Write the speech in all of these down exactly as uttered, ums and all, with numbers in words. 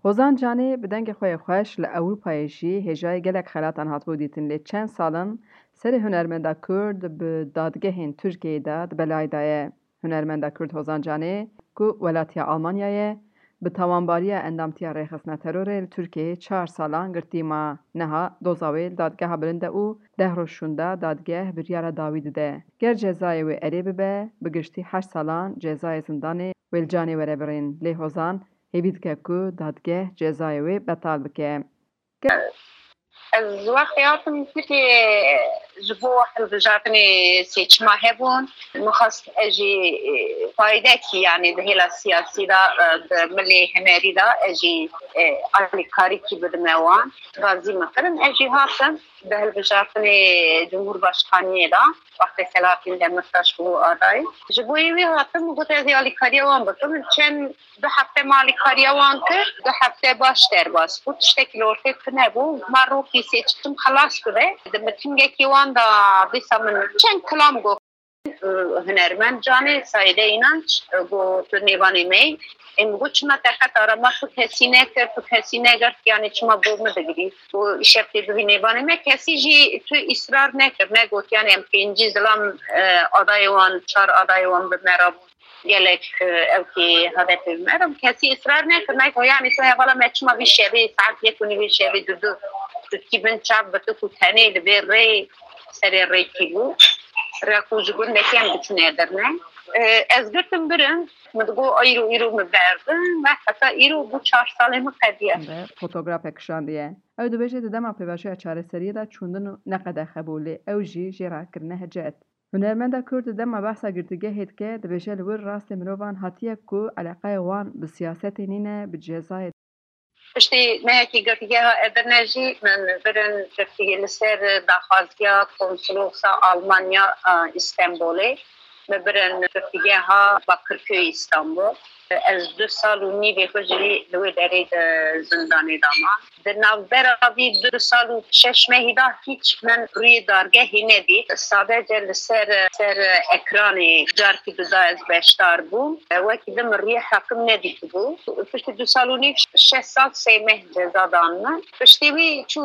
Hozan Canê bi dengê xwe yê xweş li Ewropayê jî hêjayî gelek xelatan hatibû dîtin, lê çend sal in serê hunermenda Kurd bi dadgehên Tirkiyeyê de di belayê de ye. Hunermenda Kurd Hozan Canê, ku welatiya Almanya ye, bi tawanbariya endamtiya rêxistina terorê li Tirkiyeyê çar salan girtî ma. Niha doza wê li Dadgeha Bilind e û deh roj şûnda dadgeh biryara dawî dide. Ger cezayê wê erê bibe, bi giştî heşt salan cezayê zindanê wê li canê were birîn. Lê Hozan hêvî dike ku dadgeh cezayê wê betal bike. Ez wextê hatim Tirkiyê ji bo hilbijartinê seçima hebûn. Min xwest ez jî, e, faydekî, yanî di hêla siyasî de, e, di milê hunerî de ez jî, e, alîkarîkî bidime wan. Razî min kirin. Ez jî hatim bi hilbijartinê Cumhurbaşkaniyê de, wextê Selahattin Demirtaş bû adayî. Ji bo wî hatim, got ez ê alîkariya wan bikim. Çend du hefte me alîkariya wan kir, du hefte baş derbas bû. Tiştekî li ortê tune bû. Ma rokî seçim xelas bibe. Di mitingekî wan de dîsa min çend kilam got. Hunermend Canê, Saîde Înanç, got tu nêvanê me yî. Ê min got çima te qet arama tu kesî nekir, tu kesî negirt, yanî çima bo min digirî? Û îşev tê bibî nêvanê me, kesî jî tu îsrar nekir, negot yanî em pêncî zilam, e, adayê wan, çar adayê wan bi me re bûn. Gelek, e, ew kê hedefê me re kesî israr nekir, nayê ku yanî tu hevala me çima vî şevê saet yek û nîvê şevê didu tu dikî bin çav bi tu ku tenê li vê rê serê rêkî bû. Rê ku ji gundekê em diçûne derine. E, ez girtim birin, min digot îro, îro min berdin ve heta îro bû çar salê min qediye. Fotografek kişandiye. Ew dibêje di dema pêvajoya çareseriyê de çûndin û ne qedexe bû, lê ew jî jê re kirine hicet. Hunermenda Kurd di dema behsa girtîgehê dike, dibêje li wir rastê mirovan hatiye ku eleqeya wan bi siyasetê nîne, bi cezayê. Piştî mehekî girtîgeha Edirne jî min birin girtîgehê li ser daxwaziya Konsolosa Almanya, e, Îstenbolê. Min birin girtîgeha Bakırköy Îstanbul. Ez du sal û nîvê xwe jî li wê derê di zindanê de mam. Di navbera vî du sal û şeş mehî de hîç min rûyê dargehê nedît. Sadece li ser, ser ekranê carkî duda ez beşdar bûm. Wekî din min rûyê hekim nedîtibû. Piştî du sal û nîv şeş sal sê meh ceza dan min. Piştî wî çû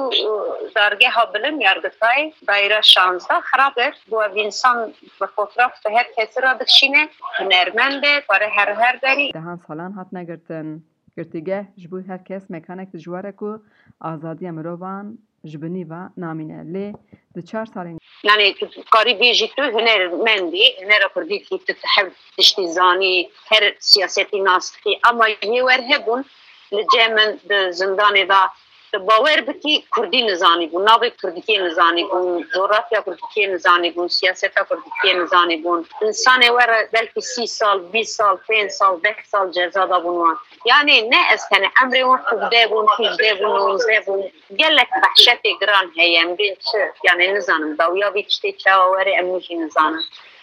dargeha bilind, Yargıtay, daîra şanzdeh, xirab kir. Got ev însan bi fotoğraf bi her kesî re dikişîne, hunermend e, pare her her derî. Dehan salan hatine girtin. Girtîgeh ji bo her kes mekanek dijwar e ku azadiya mirovan ji binî ve namîne. Lê di çar salên. Yanî tu karî bêjî tu hunermendî, hunera kurdî dî, tu hev tiştî zanî, her siyasetî nas dikî. Ama yê wer hebûn li cem min di zindanê de, tu bawer bikî kurdî nizanî bûn, navê kurdikiyê nizanî bûn, coğrafya kurdikiyê nizanî bûn, siyaseta kurdikiyê nizanî bûn. Însanê we re belkî sî sal, bîst sal, pênc sal, deh sal ceza dabûn wan. Yanî ne ez tenê emrê wan hevdeh bûn, hîjdeh bûn, nonzdeh bûn. Gelek behşetê giran heye, em bên çi? Yanî nizanim, dawiya vî tiştê çawa were, em jî nizanin.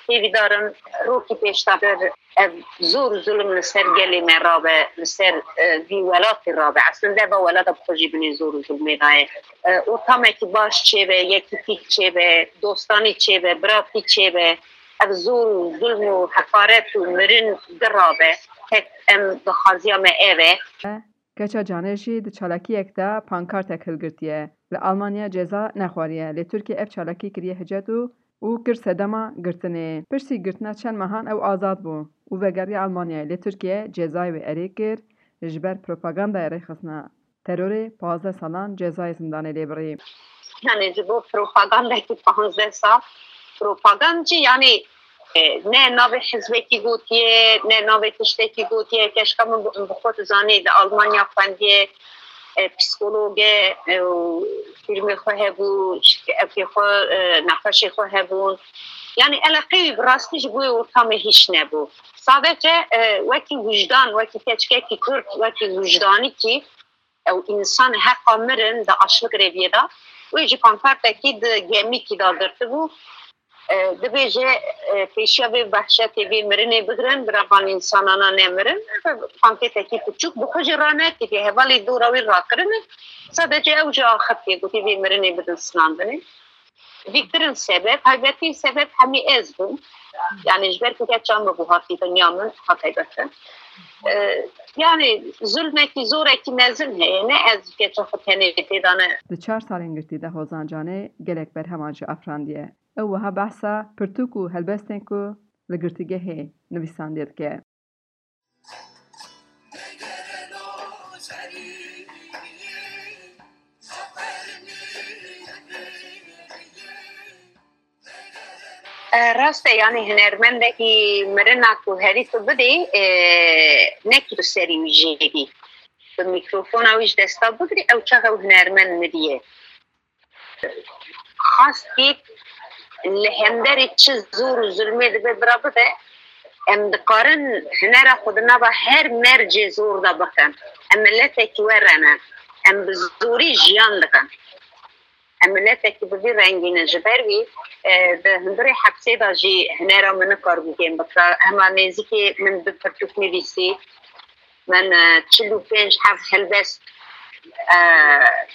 Hêvîdar in rokî pêşdatir ev zor û zulm li ser gelê me rabe, li ser, e, vî welatê rabe. Eslinde va welata bi xwe jî binê zor û zulmê de ye. E, ortamekî baş çêbe, yekîtîk çêbe, dostanî çêbe, biratî çêbe. Ev zor û zulm û heqaret û mirin girabe. Tek em daxwaziya me ev e. Keça Canê jî di çalakiyek de pankartek hilgirtiye. Li Almanya ceza nexwariye, lê Tirkiye ev çalakî kiriye hicet û, û kir sedema girtinê. Piştî girtina çend mehan ew azad bû û vegeriya Almanyayê, lê Tirkiye cezayê wê erê kir, ji ber propagandaya rêxistina terorê pazdeh salan cezayê zindanê lê birî. Yanî ji bo propagandekî pazdeh sal, propagand jî yanî, e, ne navê hizbekî gotiye, ne navê tiştekî gotiye. Keşka min bi, bi xwe dizanî, li Almanya xwendiye, e, psîkolog e, e, û fîrmê xwe hebû, evkê xwe, e, nexweşê xwe hebûn. Yanî eleqeyê wî bi rastî ji bo wê ortamê hîç nebû. Sadece, e, wekî wijdan, wekî keçikekî Kurd, wekî wijdanîkî, ew însan heqa mirin di aşmik rêviyê de, wê jî pankartekî di gemîkî de girtibû. E, dibêje, e, pêşiya vê behşetê, vê mirinê bigirin, bira van însanana nemirin. Pankartekî piçûk bi xwe jî ranekiriye, hevalê dora wî rakirine. Sadece ew jî axiftiye, gotî vê mirinê bidin sinandinê. Vî kirin sebeb, taybetî sebeb hemî ez bûm. Yanî ji ber ku keça min bû hatî dinya min, ha taybet e. E, yani zulmekî, zorekî mezin heye, ne ez keça xwe tenê tê de ne. Di çar salên girtî de Hozan Canê gelek berheman jî afirandiye. Ew wiha behsa pirtûk û helbestên ku li girtîgehê nivîsandiye dike. E, rast e, yanî hunermendekî mirina ku herî tu bidî, e, ne ku tu serî wî jêbî, tu mîkrofona wî ji desta bigirî, ew çax ew hunermend midiye. Xastî li hemberî çi zor û zulmê dibe bira bibe, em dikarin hunera xwe di nava her mercê zor de bikin. Em miletekî were ne. Em bi zorî jiyan dikin. Em miletekî bi vî rengî ne. Ji ber wî, e, di hundirê hepsê de jî hunera min nikaribû kêm bikira. Hema nêzîkê min du pirtûk nivîsî. Min, e, çil û pênc heb helbest, e,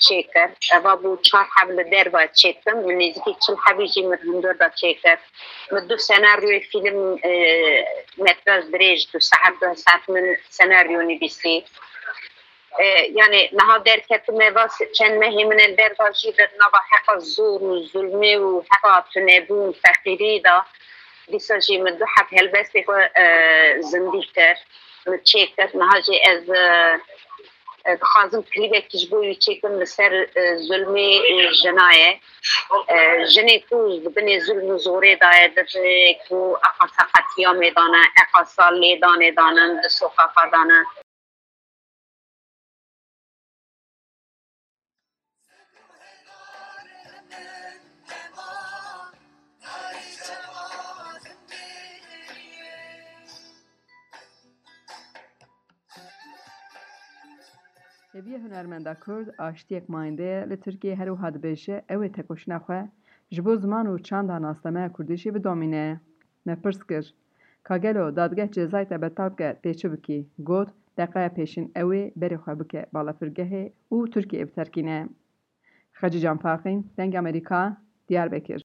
çêkir. Eva bû çar heb li derve çêdikim. Min nêzîkî çil hebî jî min hundir de çêkir. Min du senaryoyê fîlm, e, metraj dirêj, du saet, du saet min senaryo nivîsî. E, yani niha derketime va se-, çend mehê min li derve jî di nava heqa zor û zulmê û heqa tunebûn, feqîrî de. Dîsa jî min du heb helbestê xwe, e, zindî kir, min çêkir. Niha jî ez, e, e, dixwazim klîbekî ji bo wî çêkim li ser, e, zulmê, e, jina ye. E, jinê ku di binê zulm û zorê de ye, di binê ku eqasa qetîyamê de ne, eqasa lêdanê de ne, di soqaqa de ne. Hêviyê hunermenda Kurd aştiyek mayînde ye. Li Tirkiyeyê her wiha dibêje, ew ê tekoşîna xwe ji bo ziman û çanda nasnameya kurdî jî bidomîne. Me pirs kir, ka gelo dadgeh cezayê te betal bike tê çi bikî? Got, deqeya pêşîn ew ê berê xwe bike balafirgehê û Tirkiyeyê biterkîne. Xecîcan Farqîn, Dengê Amerîka, Diyarbekir.